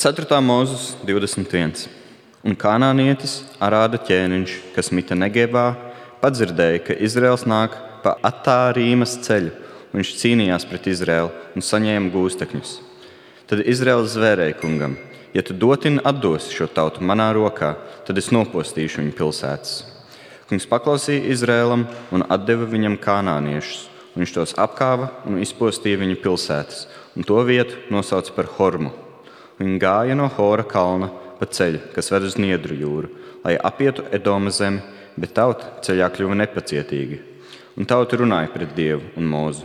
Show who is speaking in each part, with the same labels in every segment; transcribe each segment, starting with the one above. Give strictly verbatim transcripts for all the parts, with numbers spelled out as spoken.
Speaker 1: ceturtā mūzes divdesmit viens. Un kanānietis Arāda ķēniņš, kas mita Negebā, padzirdēja, ka Izraels nāk pa Atārīmas ceļu, un viņš cīnījās pret Izraelu un saņēma gūstekņus. Tad Izraels zvērēja kungam: ja tu dotini atdosi šo tautu manā rokā, tad es nopostīšu viņu pilsētas. Kungs paklausīja Izraēlam un atdeva viņam kanāniešus, un viņš tos apkāva un izpostīja viņu pilsētas, un to vietu nosauca par Hormu. Viņi gāja no Hora kalna pa ceļu, kas ved uz Niedru jūru, lai apietu Edoma zemi, bet tauta ceļā kļuva nepacietīga. Un tauta runāja pret Dievu un Mūzu: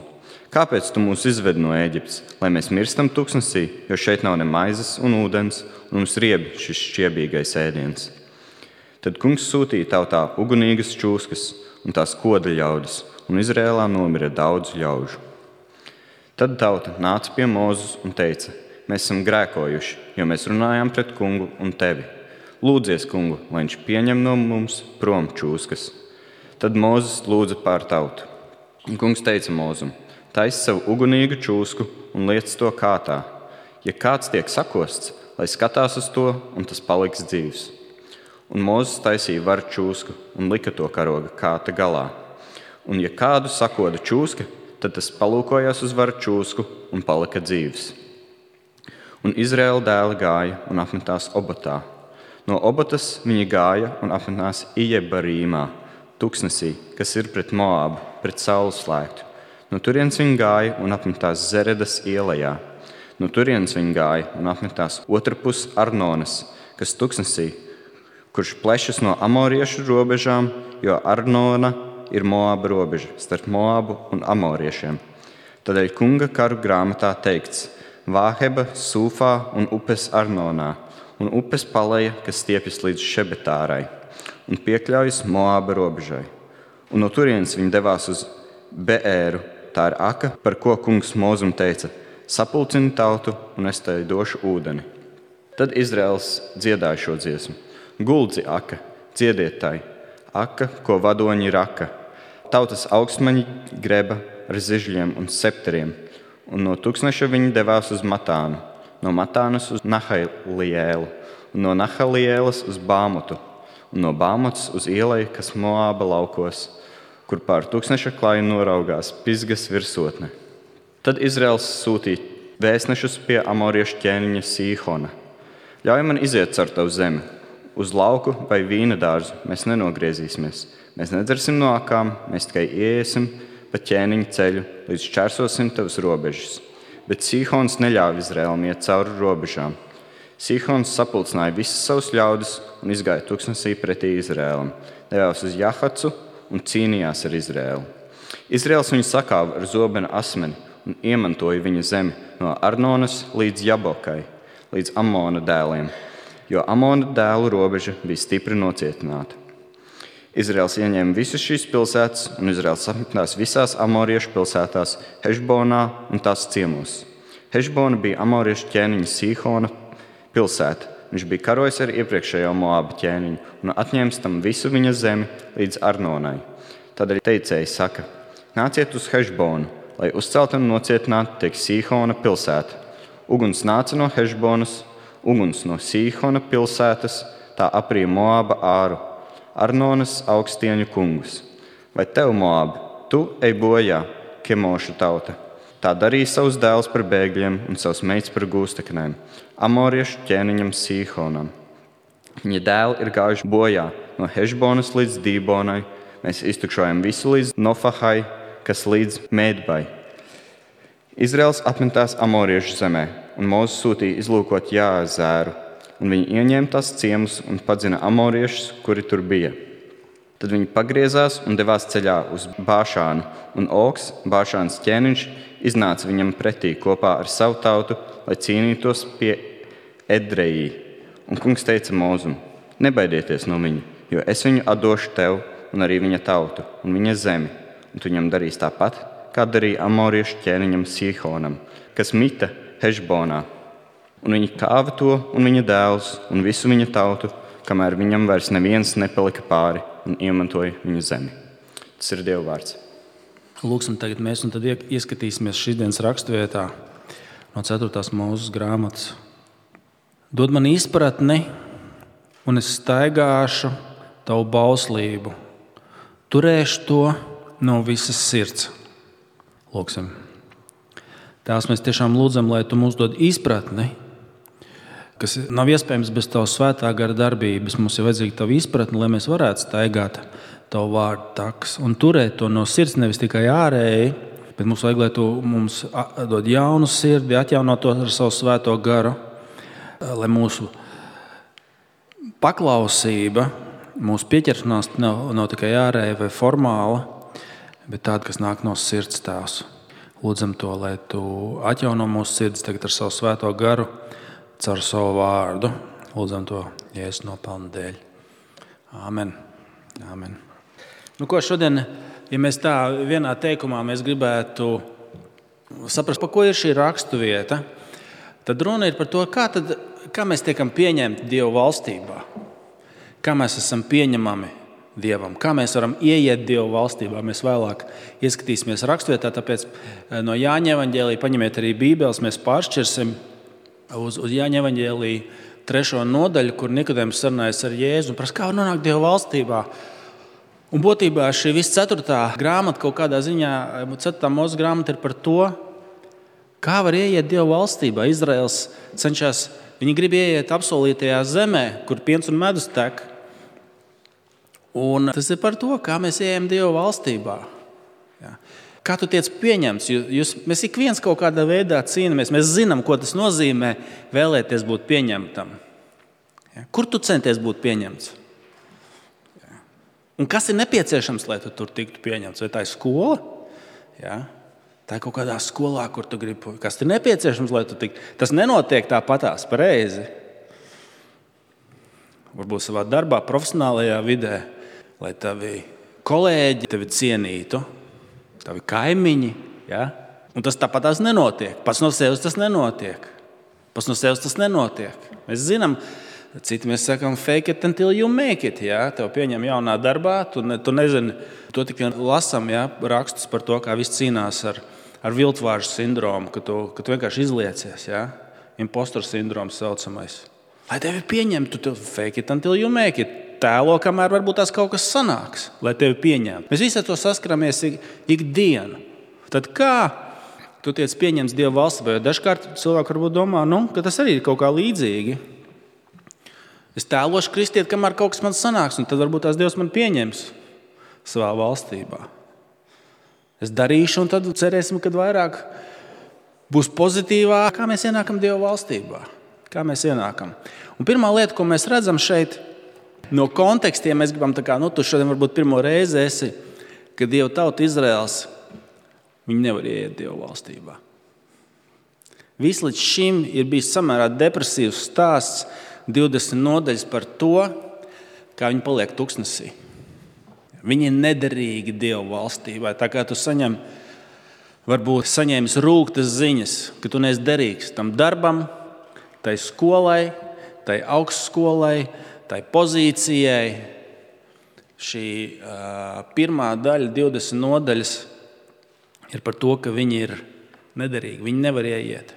Speaker 1: kāpēc tu mūs izved no Ēģiptes, lai mēs mirstam tuksnesī, jo šeit nav ne maizes un ūdens, un mums riebi šis šķiebīgais ēdiens? Tad kungs sūtīja tautā ugunīgas čūskas un tās koda ļaudis, un Izrēlā nomira daudz ļaužu. Tad tauta nāca pie Mūzes un teica: mēs esam grēkojuši, jo mēs runājām pret kungu un tevi. Lūdzies kungu, lai viņš pieņem no mums prom čūskas. Tad Mūzes lūdza pār tautu. Un kungs teica Mūzum: taisi savu ugunīgu čūsku un liec to kātā. Ja kāds tiek sakosts, lai skatās uz to, un tas paliks dzīvs. Un Mūzes taisīja varu čūsku un lika to karoga kāta galā. Un ja kādu sakoda čūska, tad tas palūkojās uz varu čūsku un palika dzīvs. Un Izraēla dēli gāja un apmetās Obotā. No Obotas viņi gāja un apmetās Ijebarīmā, tuksnesī, kas ir pret Moābu, pret saules slēgtu. No turienes viņi gāja un apmetās Zeredas ielajā. No turienes viņi gāja un apmetās otrpus Arnonas, kas tuksnesī, kurš plešas no amoriešu robežām, jo Arnona ir Moāba robeža starp Moābu un amoriešiem. Tādēļ kunga karu grāmatā teikts: Vāheba, Sūfā un upes Arnonā, un upes Paleja, kas stiepjas līdz Šebetārai, un piekļaujas Moāba robežai. Un no turienes viņi devās uz Beēru, tā ir aka, par ko kungs Mūzum teica: sapulcini tautu, un es tev došu ūdeni. Tad Izraels dziedāja šo dziesmu: guldzi aka, dziediet tai, aka, ko vadoņi raka. Tautas augstmaņi greba ar zižļiem un septeriem, un no tūkstneša viņi devās uz Matānu, no Matānas uz Nahaliēlu, un no Nahalielas uz Bāmotu, un no Bāmotas uz ielai, kas Moāba laukos, kur pār tūkstneša klāju noraugās Pisgas virsotne. Tad Izraels sūtīja vēstnešus pie amoriešu ķēniņa Sīhona: ļauj man iziet caur tavu zemi, uz lauku vai vīna dārzu mēs nenogriezīsimies, mēs nedzersim no akām, mēs tikai ieiesim pa ķēniņa ceļu, līdz šķērsosim tavas robežas. Bet Sīhons neļāva Izraēlam iet cauri robežām. Sīhons sapulcināja visas savus ļaudis un izgāja tuksnesī pretī Izraēlam, devās uz Jahacu un cīnījās ar Izraēlu. Izraēls viņu sakāva ar zobena asmeni un iemantoja viņa zemi no Arnonas līdz Jabokai, līdz Amona dēliem, jo Amona dēlu robeža bija stipri nocietināta. Izraels ieņēma visas šīs pilsētas, un Izraels apmetās visās amoriešu pilsētās, Hešbonā un tās ciemos. Hešbona bija amoriešu ķēniņa Sīhona pilsēta. Viņš bija karojis ar iepriekšējo Moāba ķēniņu un atņēmis tam visu viņa zemi līdz Arnonai. Tādēļ teicēji saka: nāciet uz Hešbonu, lai uzcelt un nocietinātu tiek Sīhona pilsēta. Uguns nāca no Hešbonas, uguns no Sīhona pilsētas, tā aprīja Moāba āru, Arnonas augstieņu kungus. Vai tev, Moāba, tu ej bojā, Kemošu tauta? Tā darīja savus dēlus par bēgļiem un savus meitas par gūsteknēm, amoriešu ķēniņam Sīhonam. Viņa dēli ir gājuši bojā no Hešbonas līdz Dībonai, mēs iztukšojam visu līdz Nofahai, kas līdz Mēdbai. Izraels apmetās amoriešu zemē, un Mūzes sūtīja izlūkot Jāzēru, un viņi ieņēma tās ciemus un padzina amoriešus, kuri tur bija. Tad viņi pagriezās un devās ceļā uz Bāšānu, un Ogs, Bāšānas ķēniņš, iznāca viņam pretī kopā ar savu tautu, lai cīnītos pie Edrejī. Un kungs teica Mūzum: nebaidieties no viņa, jo es viņu atdošu tev un arī viņa tautu un viņa zemi, un tu viņam darīs tāpat, kā darīja amoriešu ķēniņam Sīhonam, kas mita Hešbonā. Un viņi kāva to un viņa dēlus un visu viņa tautu, kamēr viņam vairs neviens nepalika pāri, un iemantoja viņa zemi. Tas ir Dieva vārds.
Speaker 2: Lūksim tagad mēs un tad ieskatīsimies šīs dienas raksturvietā no ceturtās Mūzes grāmatas Dod man izpratni, un es staigāšu tavu bauslību. Turēšu to no visas sirds. Lūksim. Tās mēs tiešām lūdzam, lai tu mums dod izpratni, kas nav iespējams bez tavu svētā gara darbības. Mums ir vajadzīga tava izpratne, lai mēs varētu staigāt tavu vārdu takas un turēt to no sirds, nevis tikai ārēji, bet mums vajag, lai tu mums dod jaunu sirdi, atjauno to ar savu svēto garu, lai mūsu paklausība, mūsu pieķeršanās nav, nav tikai ārēja vai formāla, bet tāda, kas nāk no sirds tās. Lūdzam to, lai tu atjauno mūsu sirds tagad ar savu svēto garu, caur savu vārdu. Lūdzam to Jēzus nopelna dēļ. Āmen. Āmen. Nu, ko šodien, ja mēs tā vienā teikumā mēs gribētu saprast, pa ko ir šī raksturvieta, tad runa ir par to, kā, tad, kā mēs tiekam pieņemti Dieva valstībā. Kā mēs esam pieņemami Dievam. Kā mēs varam ieiet Dieva valstībā. Mēs vēlāk ieskatīsimies raksturvietā, tāpēc no Jāņa evaņģēlija paņemiet arī Bībeles, mēs pāršķirsim Uz, uz Jāņa evaņģēlija trešo nodaļu, kur Nikodēms sarunājas ar Jēzu un prasa, kā var nonākt Dieva valstībā. Un būtībā šī visa ceturtā grāmata kaut kādā ziņā, ceturtā Mūzes grāmata ir par to, kā var ieiet Dieva valstībā. Izraels cenšas, viņi grib ieiet apsolītajā zemē, kur piens un medus tek. Un tas ir par to, kā mēs ejam Dieva valstībā. Jā. Kā tu tiec pieņemts? Jūs, mēs ik viens kaut kādā veidā cīnāmies. Mēs zinām, ko tas nozīmē vēlēties būt pieņemtam. Ja? Kur tu centies būt pieņemts? Ja? Un kas ir nepieciešams, lai tu tur tiktu pieņemts? Vai tā ir skola? Ja? Tā ir kaut kādā skolā, kur tu gribi. Kas ir nepieciešams, lai tu tiktu? Tas nenotiek tāpatās pareizi. Varbūt savā darbā, profesionālajā vidē, lai tavi kolēģi tevi cienītu. Tavi kaimiņi, ja? Un tas tāpat tās nenotiek. Pats no sevis tas nenotiek. Pats no sevis tas nenotiek. Mēs zinām, citi mēs sakām fake it until you make it, ja? Tev pieņem jaunā darbā, tu, ne, tu nezini, to tik vien lasam, ja? Rakstus par to, kā viss cīnās ar, ar viltvāržu sindromu, ka tu, ka tu vienkārši izliecies, ja? Impostoru sindroms saucamais. Lai tevi pieņemtu, tu fake it until you make it. Tēlo, kamēr varbūt tās kaut kas sanāks, lai tevi pieņemtu. Mēs visi ar to saskaramies ikdienu. Tad kā tu tiec pieņemts Dieva valstībā? Jo dažkārt cilvēki varbūt domā, nu, ka tas arī ir kaut kā līdzīgi. Es tēlošu kristieti, kamēr kaut kas man sanāks, un tad varbūt tās Dievs man pieņems savā valstībā. Es darīšu, un tad cerēsim, kad vairāk būs pozitīvā. Kā mēs ienākam Dieva valstībā? Kā mēs ienākam? Un pirmā lieta, ko mēs redzam šeit, no kontekstiem mēs gribam, tā kā, nu, tu šodien varbūt pirmo reizi esi, ka Dieva tauta Izraels, viņi nevar ieiet Dieva valstībā. Viss līdz šim ir bijis samērā depresīvs stāsts, divdesmit nodaļas par to, kā viņi paliek tuksnesī. Viņi ir nederīgi Dieva valstībā. Tā kā tu saņem, varbūt saņēmis rūgtas ziņas, ka tu neesi derīgs tam darbam, tai skolai, tai augstskolai, tai pozīcijai. Šī uh, pirmā daļa, divdesmit nodaļas, ir par to, ka viņi ir nederīgi. Viņi nevar ieiet.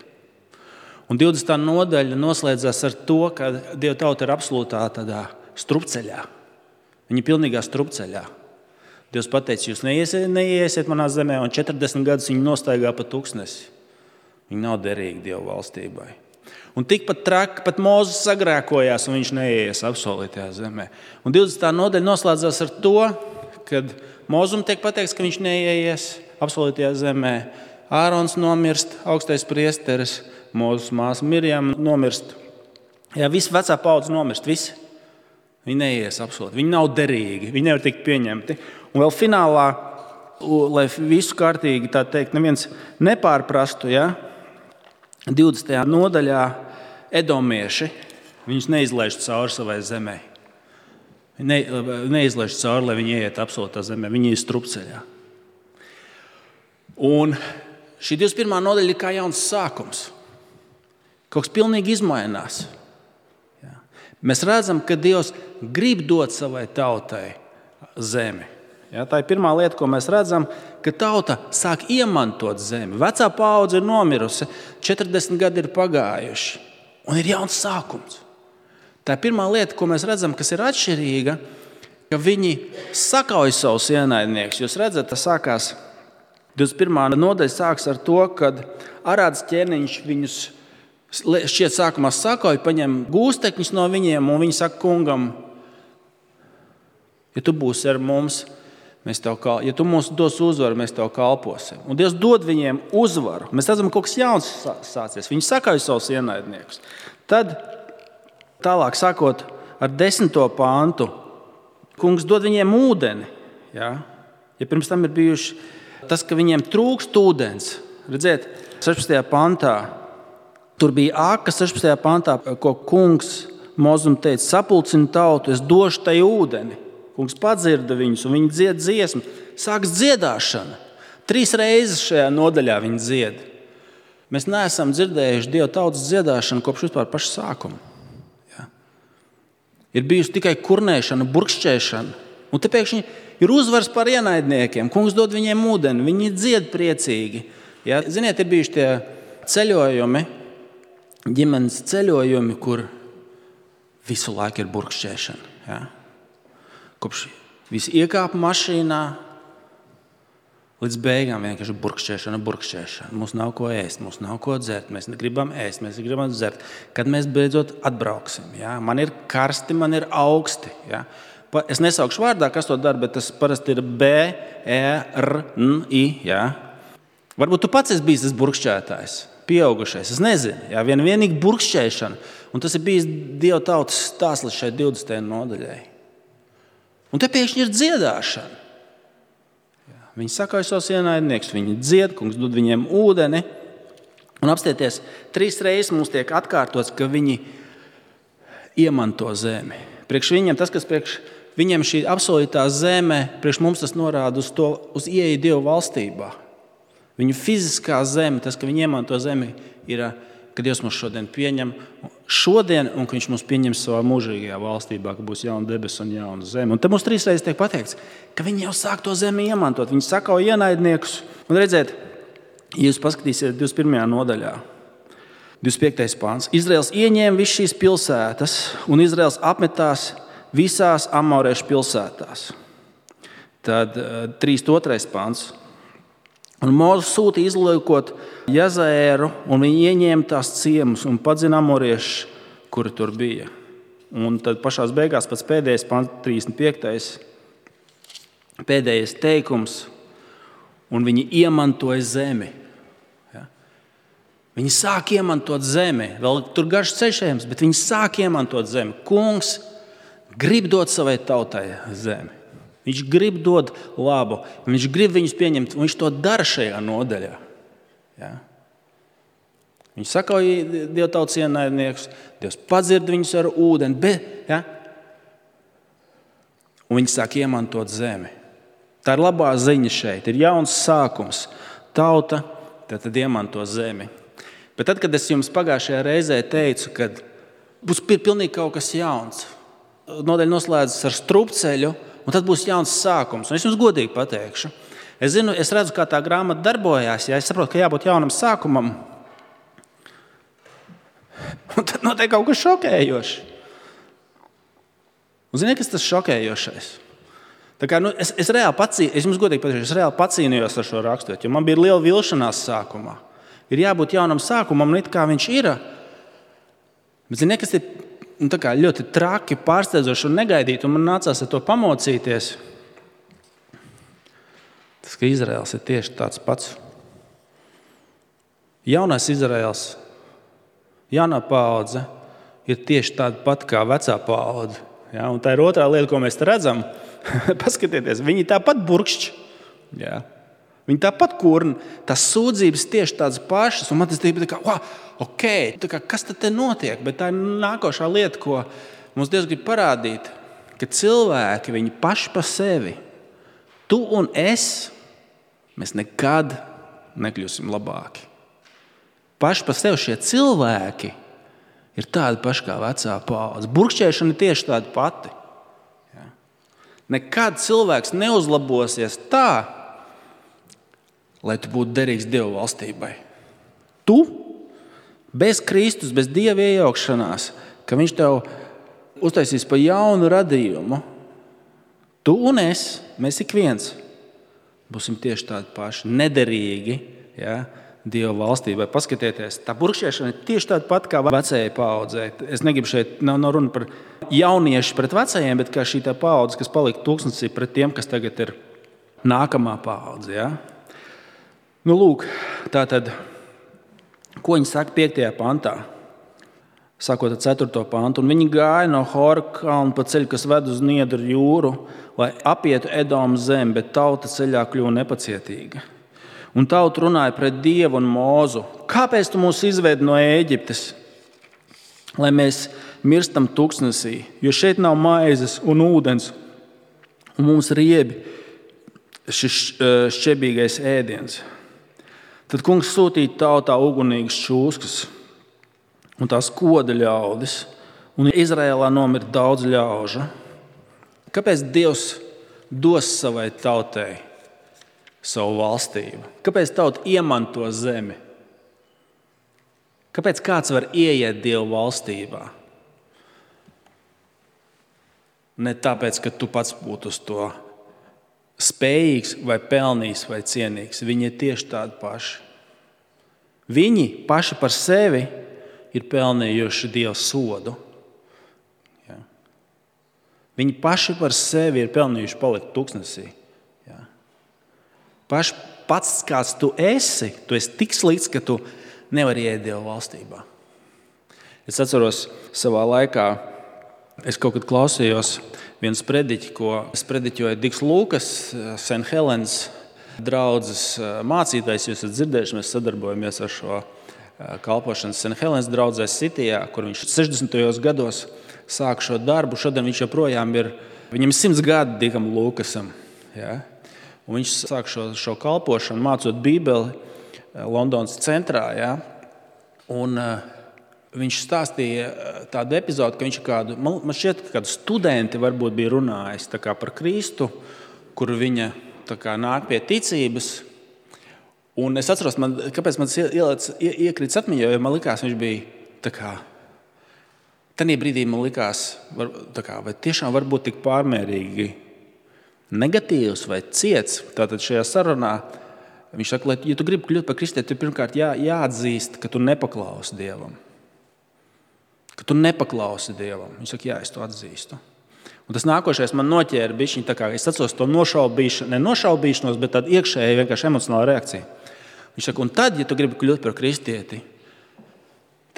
Speaker 2: Un divdesmitā nodaļa noslēdzās ar to, ka Dieva tauta ir absolūtā tādā strupceļā. Viņi ir pilnīgā strupceļā. Dievs pateica, jūs neiesiet, neiesiet manā zemē, un četrdesmit gadus viņi nostaigā pa tuksnesi. Viņi nav derīgi Dieva valstībai. Un tikpat traki, pat Mūzes sagrēkojās, un viņš neieies apsolītajā zemē. Un divdesmitā nodaļa noslēdzās ar to, kad Mūzum tiek pateikts, ka viņš neieies apsolītajā zemē. Ārons nomirst, augstais priesteris, Mūzes māsa Mirjam nomirst. Jā, visi vecā paudze nomirst, visi. Viņi neieies apsolīt, viņi nav derīgi, viņi nevar tikt pieņemti. Un vēl finālā, lai visu kārtīgi, tā teikt, neviens nepārprastu, ja? divdesmitajā nodaļā edomieši, viņus neizlaiž cauri savai zemē. Ne, neizlaiž cauri, lai viņi ieiet apsolītā zemē. Viņi ir strupceļā. Un šī divdesmit pirmā nodaļa ir kā jauns sākums. Kaut kas pilnīgi izmainās. Jā. Mēs redzam, ka Dievs grib dot savai tautai zemi. Ja, tā ir pirmā lieta, ko mēs redzam, ka tauta sāk iemantot zemi. Vecā paudze ir nomirusi, četrdesmit gadi ir pagājuši. un ir jauns sākums. Tā ir pirmā lieta, ko mēs redzam, kas ir atšķirīga, ka viņi sakauj savus ienaidniekus. Jūs redzat, tas sākās divdesmit pirmā nodaļa sāks ar to, kad Arādas ķēniņš viņus šķiet sākumā sakauj, paņem gūstekņus no viņiem, un viņi saka kungam, ja tu būsi ar mums, mēs tev kal... ja tu mums dos uzvaru, mēs tev kalposim. Un Dievs dod viņiem uzvaru. Mēs redzam, ka kaut kas jauns sācies. Viņi sakauj savus ienaidniekus. Tad, tālāk sākot ar desmito pāntu, kungs dod viņiem ūdeni. Ja, ja pirms tam ir bijuši tas, ka viņiem trūkst ūdens. Redziet, sešpadsmitajā pantā, tur bija āka sešpadsmitajā pantā, ko kungs Mozum teica, sapulcini tautu, es došu tai ūdeni. Kungs padzirda viņus, un viņi dzied dziesmu. Sāks dziedāšana. Trīs reizes šajā nodaļā viņi dzied. Mēs neesam dzirdējuši Dieva tautas dziedāšanu kopš vispār paša sākuma. Ja. Ir bijusi tikai kurnēšana, burkšķēšana. Un te pēkšņi ir uzvars par ienaidniekiem. Kungs dod viņiem ūdeni, viņi dzied priecīgi. Ja. Ziniet, ir bijuši tie ceļojumi, ģimenes ceļojumi, kur visu laiku ir burkšķēšana. Ja. Kopš visi iekāpa mašīnā, līdz beigām vienkārši burkšķēšana, burkšķēšana. Mums nav ko ēst, mums nav ko dzert, mēs negribam ēst, mēs negribam dzert. Kad mēs beidzot atbrauksim, ja? Man ir karsti, man ir augsti. Ja? Es nesaukšu vārdā, kas to dara, bet tas parasti ir B, E, R, N, I. Ja? Varbūt tu pats esi bijis tas burkšķētājs, pieaugušais, es nezinu. Ja? Vien vienīgi burkšķēšana, un tas ir bijis Dieva tautas stāslis šai divdesmitajai nodaļai. Un te pēkšņi ir dziedāšana. Viņi sakauj savus ienaidniekus, viņi dzied, kungs dod viņiem ūdeni. Un apstieties, trīs reizes mums tiek atkārtots, ka viņi iemanto zemi. Priekš viņiem tas, kas priekš viņiem šī apsolītā zeme, priekš mums tas norāda uz to, uz ieeju Dieva valstībā. Viņu fiziskā zeme, tas, ka viņi iemanto zemi, ir, ka Dievs mūs šodien pieņem šodien, un ka viņš mūs pieņems savā mūžīgajā valstībā, ka būs jauna debes un jauna zeme. Un te mums trīs reizes tiek pateikts, ka viņi jau sāk to zemi iemantot. Viņi sakauj ienaidniekus. Un redziet, ja jūs paskatīsiet divdesmit pirmajā nodaļā, divdesmit piektais pāns. Izraels ieņēma visas šīs pilsētas, un Izraels apmetās visās amoriešu pilsētās. Tad trīsdesmit otrais pāns. Un Mūzes sūtīja izlūkot Jazaēru, un viņi ieņēma tās ciemus un padzina amoriešus, kuri tur bija. Un tad pašās beigās pats pēdējais pants, trīsdesmit piektais pēdējais teikums, un viņi iemantoja zemi. Ja? Viņi sāk iemantot zemi. Vēl tur garš ceļš ejams, bet viņi sāk iemantot zemi. Kungs grib dot savai tautai zemi. Viņš grib dot labu, viņš grib viņus pieņemt, un viņš to dara šajā nodaļā. Ja? Viņš sakauj Dieva tautas ienaidniekus, Dievs padzird viņus ar ūdeni, bet, ja? Un viņi sāk iemantot zemi. Tā ir labā ziņa šeit, ir jauns sākums. Tauta tad iemanto zemi. Bet tad, kad es jums pagājušajā reizē teicu, ka būs pilnīgi kaut kas jauns, nodaļa noslēdzas ar strupceļu, un tad būs jauns sākums. Un es jums godīgi pateikšu. Es zinu, es redzu, kā tā grāmata darbojās. Ja es saprotu, ka jābūt jaunam sākumam. Un tad notiek kaut kas šokējošs. Un ziniet, kas tas šokējošais? Tā kā, nu, es, es reāli pacī, es jums godīgi pateikšu, es reāli pacīnījos ar šo rakstot, jo man bija liela vilšanās sākumā. Ir jābūt jaunam sākumam, it kā viņš ir. Bet ziniet, kas ir un tā kā ļoti traki, pārsteidzoši un negaidīti, un man nācās ar to pamocīties. Tas, ka Izraels ir tieši tāds pats. Jaunais Izraels, jaunā paudze ir tieši tāda pat kā vecā paudze. Ja? Un tā ir otrā lieta, ko mēs redzam. Paskatieties, viņi tāpat burkšķi. Ja? Viņi tāpat kurna. Tās sūdzības tieši tādas pašas, un man tas bija tā kā, wow, ok, tā kā, kas tad te notiek? Bet tā ir nākošā lieta, ko mums Dievs grib parādīt, ka cilvēki, viņi paši pa sevi, tu un es, mēs nekad nekļūsim labāki. Paši pa sevi šie cilvēki ir tādi paši kā vecā paudze. Burkšķēšana ir tieši tāda pati. Ja? Nekad cilvēks neuzlabosies tā, lai tu būtu derīgs Dieva valstībai. Tu bez Kristus, bez Dieva iejaukšanās, ka viņš tev uztaisīs pa jaunu radījumu, tu un es, mēs ik viens, būsim tieši tādi paši, nederīgi, ja, Dieva valstībai. Paskatieties, tā burkšķēšana ir tieši tāda pat kā vecajai paaudzei. Es negribu šeit, nav, nav runa par jauniešu pret vecajiem, bet kā šī tā paudze, kas palika tūkstnesī pret tiem, kas tagad ir nākamā paudze. Ja? Nu, lūk, tā tad, ko viņi saka piektajā pantā? Sākot ar ceturto pantu. Un viņi gāja no Hora kalna pa ceļu, kas ved uz Niedru jūru, lai apietu Edomu zemi, bet tauta ceļā kļuva nepacietīga. Un tauta runāja pret Dievu un Mūzu. Kāpēc tu mūs izvedi no Ēģiptes, lai mēs mirstam tūkstnesī, jo šeit nav maizes un ūdens, un mums riebi šis šķebīgais ēdiens. Tad kungs sūtīja tautā ugunīgas čūskas un tās koda ļaudis, un Izraēlā nomira daudz ļaužu. Kāpēc Dievs dos savai tautai savu valstību? Kāpēc tauta iemanto zemi? Kāpēc kāds var ieiet Dieva valstībā? Ne tāpēc, ka tu pats būtu uz to spējīgs vai pelnījis vai cienīgs. Viņi ir tieši tādi paši. Viņi paši par sevi ir pelnījuši Dieva sodu. Ja. Viņi paši par sevi ir pelnījuši palikt tūkstnesī. Ja. Paši pats, kāds tu esi, tu esi tik slikts, ka tu nevari ieiet Dieva valstībā. Es atceros savā laikā, es kaut kad klausījos viens prediķi, ko sprediķoja Diks Lūkas, Saint Helens draudzes mācītājs. Jūs esat dzirdējuši, mēs sadarbojamies ar šo kalpošanas Saint Helens draudzē Sitijā, kur viņš sešdesmitajos gados sāk šo darbu. Šodien viņš joprojām ir, viņam simts gadi Dikam Lūkasam. Ja? Un viņš sāk šo, šo kalpošanu, mācot Bībeli Londonas centrā. Ja? Un uh, viņš stāstīja tādu epizodu, ka viņš kādu, man, man šķiet, ka kādu studenti varbūt bija runājis tā kā par Kristu, kur viņa tā kā nāk pie ticības. Un es atceros, man, kāpēc man ieliec, ie, iekrits atmiņā, jo man likās, viņš bija tā kā, tanī brīdī man likās, var, tā kā, vai tiešām var būt tik pārmērīgi negatīvs vai ciets. Tātad šajā sarunā viņš saka, lai, ja tu gribi kļūt par kristieti, tad pirmkārt jā, jāatzīst, ka tu nepaklausi Dievam. Ka tu nepaklausi Dievam. Viņš saka, jā, es to atzīstu. Un tas nākošais man noķēra bišķiņ, tā kā es atceros to nošaubīšanu, ne nošaubīšanos, bet tādu iekšēju vienkārši emocionālu reakciju. Viņš saka, un tad, ja tu gribi kļūt par kristieti,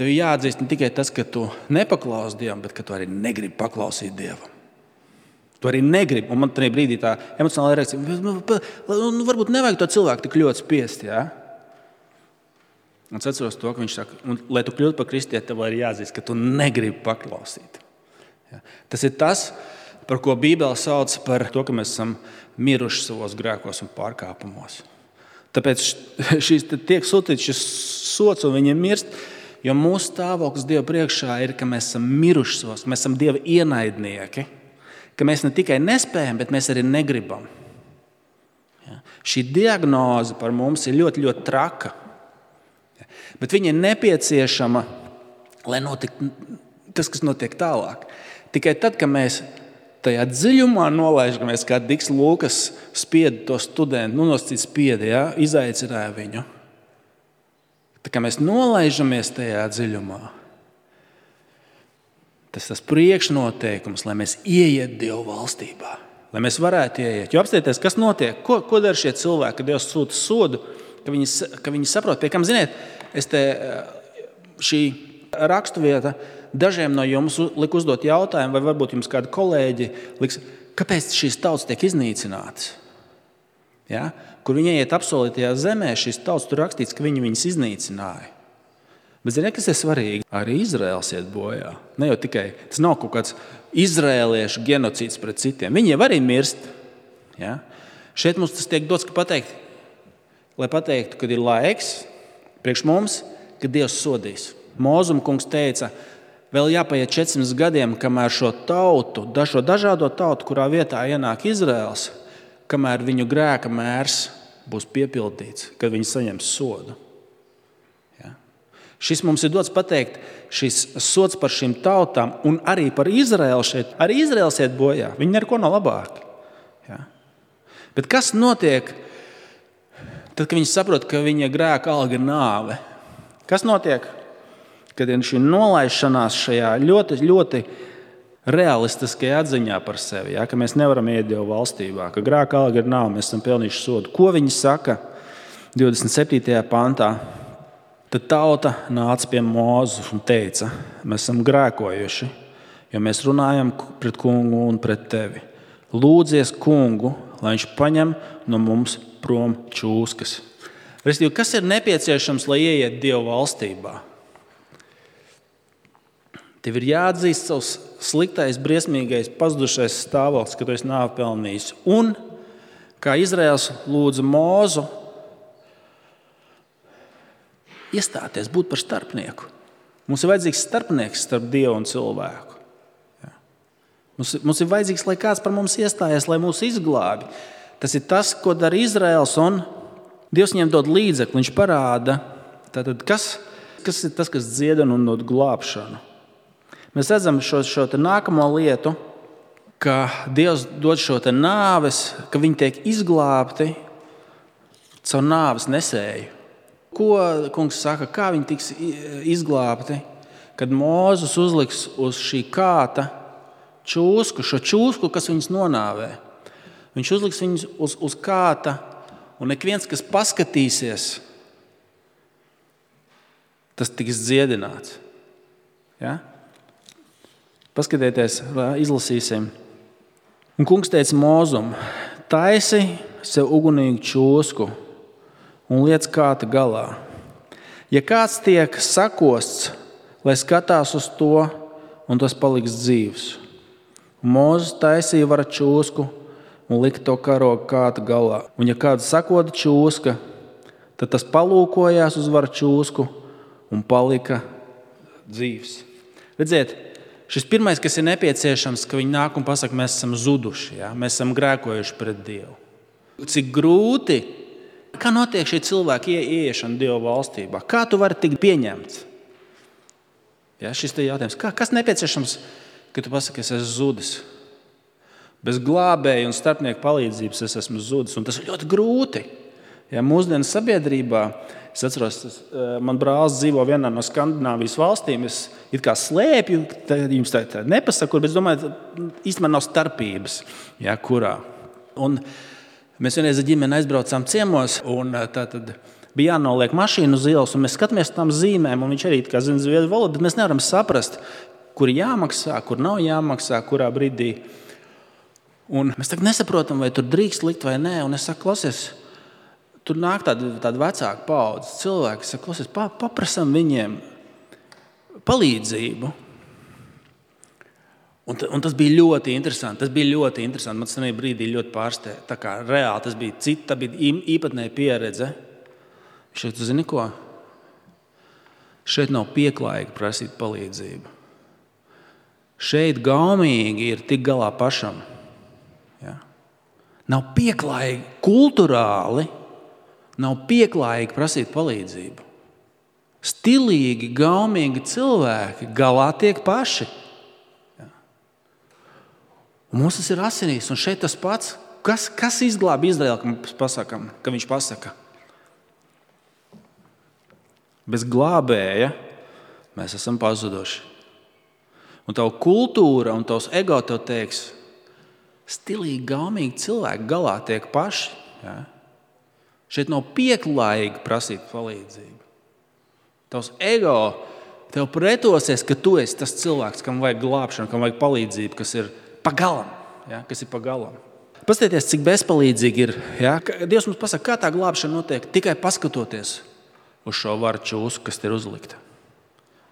Speaker 2: tev jāatzīst ne tikai tas, ka tu nepaklausi Dievam, bet ka tu arī negribi paklausīt Dievam. Tu arī negribi. Un man tajā brīdī tā emocionāla reakcija, nu, varbūt nevajag to cilvēku tik ļoti spiest, jā? Un es atceros to, ka viņš saka, un, lai tu kļūtu par kristieti, tev ir jāatzīst, ka tu negribi paklausīt. Jā? Tas ir tas, par ko Bībele sauc par to, ka mēs esam miruši savos grēkos un pārkāpumos. Tāpēc šīs tiek sūtīts šis sots un viņi mirst, jo mūsu stāvoklis Dieva priekšā ir, ka mēs esam miruši savos, ka mēs esam Dieva ienaidnieki, ka mēs ne tikai nespējam, bet mēs arī negribam. Ja? Šī diagnoze par mums ir ļoti, ļoti traka. Ja? Bet viņa ir nepieciešama, lai notiktu tas, kas notiek tālāk. Tikai tad, kad mēs tajā dziļumā nolaižamies, kā Diks Lūkas spieda to studentu, nu nosacīt spieda, ja? Izaicināja viņu. Tā kā mēs nolaižamies tajā dziļumā, tas tas priekšnoteikums, lai mēs ieiet Dieva valstībā, lai mēs varētu ieiet. Jo apstieties, kas notiek, ko, ko dara šie cilvēki, kad Dievs sūta sodu, ka viņi, ka viņi saprot, pie kam, ziniet, es te šī rakstuvieta dažiem no jums liku uzdot jautājumu, vai varbūt jums kādi kolēģi liks, kāpēc šīs tautas tiek iznīcinātas? Ja? Kur viņi ieiet apsolītajā zemē, šīs tautas tur rakstīts, ka viņi viņas iznīcināja. Bet ziniet, kas ir svarīgi? Arī Izraēls iet bojā. Ne jau tikai, tas nav kaut kāds izraēliešu genocīds pret citiem. Viņi jau arī mirst. Ja? Šeit mums tas tiek dots, ka pateikt, lai pateiktu, kad ir laiks priekš mums, kad Dievs sodīs. Mūzuma kungs teica, vēl jāpaiet četrsimt gadiem, kamēr šo tautu, šo dažādo tautu, kurā vietā ienāk Izraēls, kamēr viņu grēka mērs būs piepildīts, kad viņi saņems sodu. Šis mums ir dots pateikt, šis sods par šīm tautām un arī par Izraēlu šeit. Arī Izraēls iet bojā. Viņi neko nav labāki. Ja? Bet kas notiek, tad, kad viņi saprot, ka viņa grēka alga ir nāve? Kas notiek, kad ir šī nolaišanās šajā ļoti, ļoti realistiskajā atziņā par sevi, ja? Ka mēs nevaram iet Dievu valstībā, ka grēka alga ir nāve, mēs esam pelnījuši sodu. Ko viņi saka divdesmit septītajā pantā? Tad tauta nāca pie Mūzes un teica, mēs esam grēkojuši, jo mēs runājam pret kungu un pret tevi. Lūdzies kungu, lai viņš paņem no mums prom čūskas. Restīvi, kas ir nepieciešams, lai ieiet Dieva valstībā? Tev ir jāatzīst savs sliktais, briesmīgais, pazudušais stāvoklis, ka tu esi nāvi pelnījis. Un, kā Izraēls lūdza Mūzu, iestāties, būt par starpnieku. Mums ir vajadzīgs starpnieks starp Dievu un cilvēku. Ja. Mums, mums ir vajadzīgs, lai kāds par mums iestājas, lai mūs izglābi. Tas ir tas, ko dara Izraēls, un Dievs viņiem dod līdzekli. Viņš parāda, tātad, kas, kas ir tas, kas dziedina un dod glābšanu. Mēs redzam šo, šo te nākamo lietu, ka Dievs dod šo te nāves, ka viņi tiek izglābti caur nāves nesēju. Ko kungs saka, kā viņi tiks izglābti, kad Mūzes uzliks uz šī kāta čūsku, šo čūsku, kas viņus nonāvē. Viņš uzliks viņus uz, uz kāta, un ik viens, kas paskatīsies, tas tiks dziedināts. Ja? Paskatieties, izlasīsim. Un kungs teica Mūzum, taisi sev ugunīgu čūsku un liec kāta galā. Ja kāds tiek sakosts, lai skatās uz to, un tas paliks dzīvs. Mūzes taisīja vara čūsku un lika to karogu kāta galā. Un ja kāds sakoda čūska, tad tas palūkojās uz vara čūsku un palika dzīvs. Redziet, šis pirmais, kas ir nepieciešams, ka viņi nāk un pasaka, mēs esam zuduši, ja? Mēs esam grēkojuši pret Dievu. Cik grūti, kā notiek šie cilvēki ieiešana Dieva valstībā? Kā tu vari tikt pieņemts? Ja, šis te jautājums. Kā, kas nepieciešams, ka tu pasaki, es esmu zudis? Bez glābēja un starpnieku palīdzības es esmu zudis. Un tas ir ļoti grūti. Ja, mūsdienu sabiedrībā, es atceros, tas, man brālis dzīvo vienā no Skandināvijas valstīm, es it kā slēpju, jums tā, tā nepasaku, bet es domāju, īstenībā nav starpības, ja, kurā. Un mēs vienreiz ar ģimeni aizbraucām ciemos, un tā tad bija jānoliek mašīnu uz ielas, un mēs skatāmies tam zīmēm, un viņš arī kā zina zviedru valodu, bet mēs nevaram saprast, kur jāmaksā, kur nav jāmaksā, kurā brīdī. Un mēs tagad nesaprotam, vai tur drīkst likt vai nē, un es saku, klausies, tur nāk tāda, tāda vecāka paudze cilvēki, es saku, klausies, pa, paprasam viņiem palīdzību. Un, un tas bija ļoti interesanti. Tas bija ļoti interesanti. Man tas vienā brīdī ļoti pārsteidza. Tā kā reāli tas bija cita, tā bija īpatnēja pieredze. Šeit, tu zini ko? Šeit nav pieklājīgi prasīt palīdzību. Šeit gaumīgi ir tik galā pašam. Ja? Nav pieklājīgi, kulturāli nav pieklājīgi prasīt palīdzību. Stilīgi, gaumīgi cilvēki galā tiek paši. Un mums tas ir asinīs, un šeit tas pats. Kas, kas izglāba Izraēlu, ka mēs pasakam, ka viņš pasaka? Bez glābēja mēs esam pazuduši. Un tavu kultūra un tavs ego tev teiks, stilīgi, gaumīgi cilvēki galā tiek paši. Ja? Šeit nav pieklājīgi prasīt palīdzību. Tavs ego tev pretosies, ka tu esi tas cilvēks, kam vajag glābšanu, kam vajag palīdzību, kas ir pagalam, ja, kas ir pagalam. Paskatieties, cik bezpalīdzīgi ir. Ja? Dievs mums pasaka, kā tā glābšana notiek, tikai paskatoties uz šo varu čūsku, kas ir uzlikta.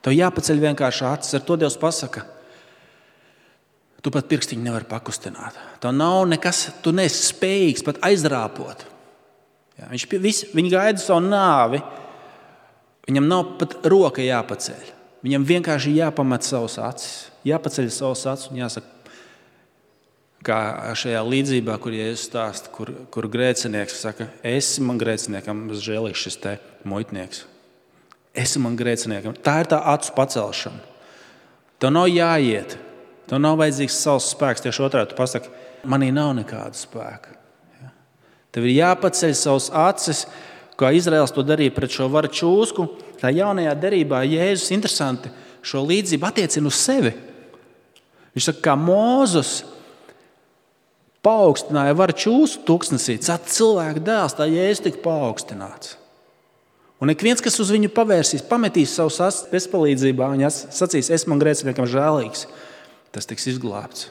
Speaker 2: Tev jāpaceļ vienkārši acis, ar to Dievs pasaka. Tu pat pirkstiņu nevari pakustināt. Tev nav nekas, tu neesi spējīgs pat aizrāpot. Ja? Viņš visi, viņi gaida savu nāvi, viņam nav pat roka jāpaceļ. Viņam vienkārši jāpamet savus acis, jāpaceļ savus acis un jāsaka, kā šajā līdzībā, kur Jēzus stāsta, kur, kur grēcinieks saka, esi man grēciniekam žēlīgs šis te muitnieks. esi man grēciniekam. Tā ir tā acu pacelšana. Tev nav jāiet. Tev nav vajadzīgs savs spēks. Tieši otrādi tu pasaki, manī nav nekāda spēka. Ja? Tev ir jāpaceļ savas acis, kā Izraels to darīja pret šo varu čūsku. Tā jaunajā derībā Jēzus interesanti šo līdzību attiecina uz sevi. Viņš saka, kā Mūzes paaugstināja varu čūsku tūkstnesī, tad cilvēka dēls, tā Jēzus tika paaugstināts. Un ik viens, kas uz viņu pavērsīs, pametīs savus acis bezpalīdzībā, viņa sacīs, es man grēciniekam žēlīgs, tas tiks izglābts.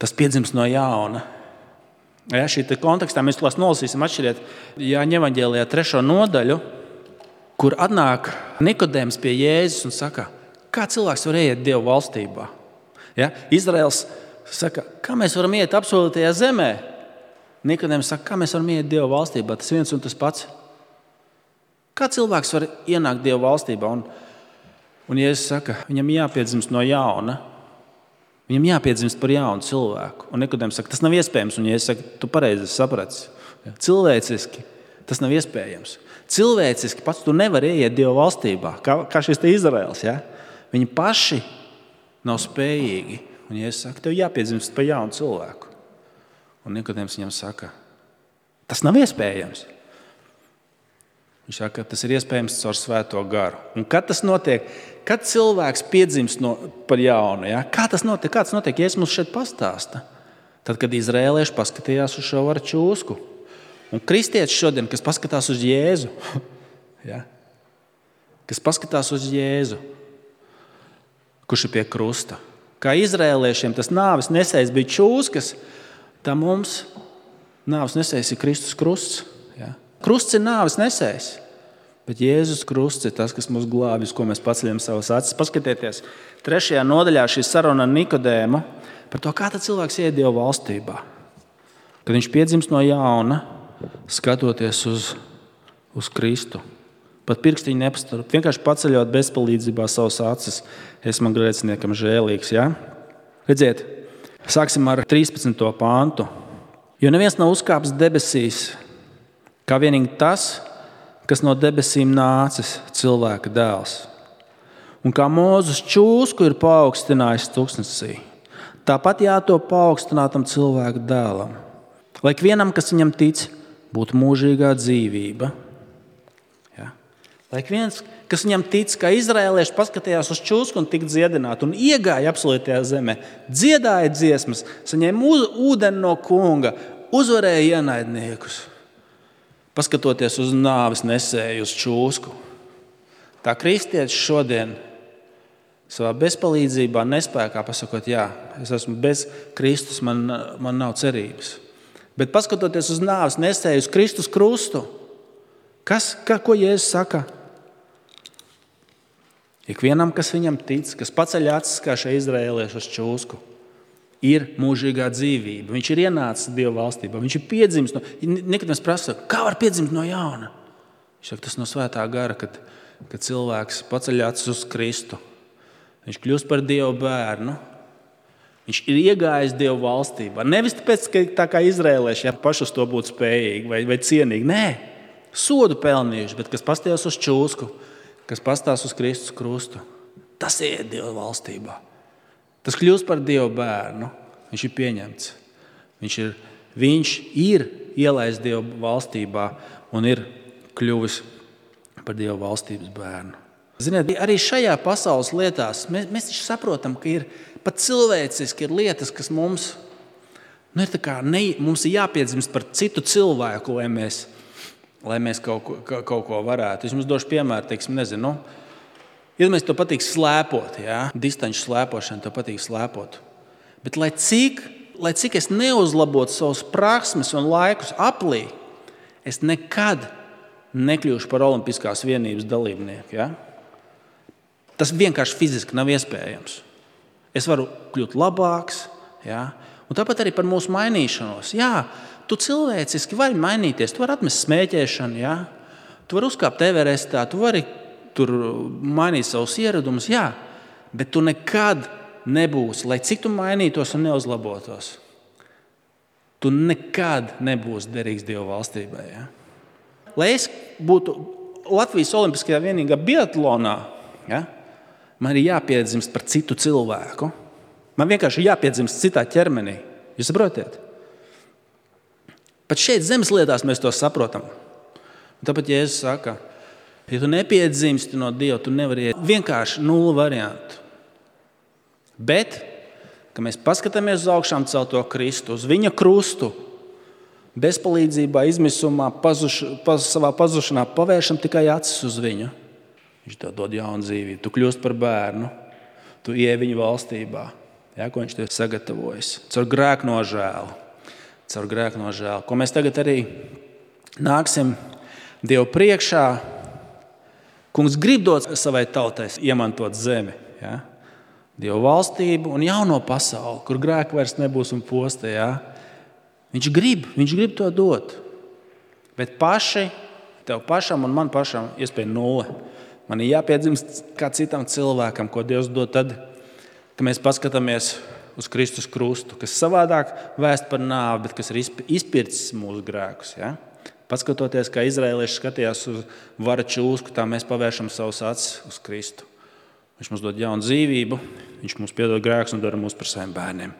Speaker 2: Tas piedzims no jauna. Ja, šī kontekstā mēs klās nolasīsim atšķiriet Jāņa evaņģēlijā trešo nodaļu, kur atnāk Nikodēms pie Jēzus un saka, kā cilvēks var iet Dievu valstībā? Ja? Izraels saka, kā mēs varam iet apsolītajā zemē? Nikodēms saka, kā mēs varam iet Dievu valstībā? Tas viens un tas pats. Kā cilvēks var ienākt Dievu valstībā? Un, un Jēzus saka, viņam jāpiedzimst no jauna. Viņam jāpiedzimst par jaunu cilvēku. Un Nikodēms saka, tas nav iespējams. Un Jēzus saka, tu pareizi saprati. Cilvēciski tas nav iespējams. Cilvēciski pats tu nevari ieiet Dieva valstībā, kā, kā šis te Izraels. Ja? Viņi paši nav spējīgi. Un Jēzus saka, tev jāpiedzimst par jaunu cilvēku. Un Nikodēms viņam saka, tas nav iespējams. Viņš saka, tas ir iespējams caur svēto garu. Un kad tas notiek, kad cilvēks piedzimst no, par jaunu, ja? Kā tas notiek? Kā tas notiek? Jēzus mums šeit pastāsta. Tad, kad izraēlieši paskatījās uz šo varu čūsku. Un kristieši šodien, kas paskatās uz Jēzu, ja? Kas paskatās uz Jēzu, kurš ir pie krusta. Kā izraēliešiem tas nāves nesējs bija čūskas, tā mums nāves nesējs ir Kristus krusts. Ja? Krusts ir nāves nesējs, bet Jēzus krusts ir tas, kas mūs glābj, uz ko mēs paceļam savas acis. Paskatieties, trešajā nodaļā šī saruna ar Nikodēmu par to, kā tad cilvēks iet Dieva valstībā. Kad viņš piedzimst no jauna, skatoties uz, uz Kristu. Pat pirkstiņu nepastarp, vienkārši paceļot bezpalīdzībā savas acis. Es man grēciniekam žēlīgs. Ja? Redziet, sāksim ar trīspadsmito pāntu. Jo neviens nav uzkāpis debesīs, kā vienīgi tas, kas no debesīm nācis, cilvēka dēls. Un kā Mūzes čūsku ir paaugstinājis tūkstnesī, tāpat jātop paaugstinātam cilvēka dēlam. Lai ikvienam, kas viņam tic, būtu mūžīgā dzīvība. Ja? Lai viens, kas viņam tic, kā izraēlieši paskatījās uz čūsku un tika dziedināti un iegāja apsolītajā zemē, dziedāja dziesmas, saņēma ūdeni no kunga, uzvarēja ienaidniekus, paskatoties uz nāves nesēju uz čūsku. Tā kristietis šodien savā bezpalīdzībā, nespēkā pasakot, jā, es esmu bez Kristus, man, man nav cerības. Bet paskatoties uz nāves nesēju uz Kristus krustu, kas, kā, ko Jēzus saka? Ikvienam, kas viņam tic, kas paceļ acis kā šie izraēlieši uz čūsku, ir mūžīgā dzīvība. Viņš ir ienācis Dieva valstībā. Viņš ir piedzimis. No, nekad mēs prasa, kā var piedzimt no jauna? Viņš saka, tas no svētā gara, kad, kad cilvēks paceļ acis uz Kristu. Viņš kļūst par Dieva bērnu. Viņš ir iegājis Dieva valstībā. Nevis tāpēc, ka tā kā izraēlieši, ja paši uz to būtu spējīgi vai, vai cienīgi. Nē, sodu pelnījuši, bet kas pastījās uz čūsku, kas pastās uz Kristus krustu, tas iet Dieva valstībā. Tas kļūst par Dieva bērnu. Viņš ir pieņemts. Viņš ir, viņš ir ielaists Dieva valstībā un ir kļuvis par Dieva valstības bērnu. Ziniet, arī šajā pasaules lietās mēs, mēs saprotam, ka ir pat cilvēciski ir lietas, kas mums, nu, ir tā kā ne, mums ir jāpiedzimst par citu cilvēku, lai mēs, lai mēs kaut, ko, kaut ko varētu. Es jums došu piemēru, teiksim, nezinu, iedomājieties, tev patīk slēpot, ja? Distanču slēpošana, tev patīk slēpot. Bet lai cik, lai cik es neuzlabotu savus prasmes un laikus aplī, es nekad nekļūšu par olimpiskās vienības dalībnieku. Ja? Tas vienkārši fiziski nav iespējams. Es varu kļūt labāks, ja? Un tāpat arī par mūsu mainīšanos. Jā, tu cilvēciski vari mainīties, tu vari atmest smēķēšanu, ja? Tu vari uzkāpt Everestā, tu vari tur mainīt savus ieradumus, jā, bet tu nekad nebūsi, lai cik tu mainītos un neuzlabotos, tu nekad nebūsi derīgs Dieva valstībai. Ja? Lai es būtu Latvijas Olimpiskajā vienīgā biatlonā, ja, man ir jāpiedzimst par citu cilvēku. Man vienkārši ir jāpiedzimst citā ķermenī. Jūs saprotiet? Pat šeit zemes lietās mēs to saprotam. Un tāpēc Jēzus saka, ja tu nepiedzimsti no Dieva, tu nevari iet vienkārši nulli variantu. Bet, ka mēs paskatāmies uz augšām celto Kristu, uz viņa krustu, bezpalīdzībā, izmisumā, pazuš, paz, savā pazušanā pavēršam tikai acis uz viņu. Viņš tev dod jaunu dzīvību, tu kļūst par bērnu, tu ieej viņa valstībā, ja, ko viņš tev sagatavojas. Caur grēku nožēlu, caur grēku nožēlu, ko mēs tagad arī nāksim Dievu priekšā. Kungs grib dot savai tautai iemantot zemi, ja? Dievu valstību un jauno pasauli, kur grēku vairs nebūs un posta. Ja? Viņš grib, viņš grib to dot. Bet paši, tev pašam un man pašam iespēja nulle. Man ir jāpiedzimst kā citam cilvēkam, ko Dievs dod tad, ka mēs paskatāmies uz Kristus krustu, kas savādāk vēst par nāvi, bet kas ir izpircis mūsu grēkus. Ja? Paskatoties, kā izraēlieši skatījās uz vara čūsku, tā mēs pavēršam savus acis uz Kristu. Viņš mums dod jaunu dzīvību, viņš mums piedod grēkus un dara mūs par saviem bērniem.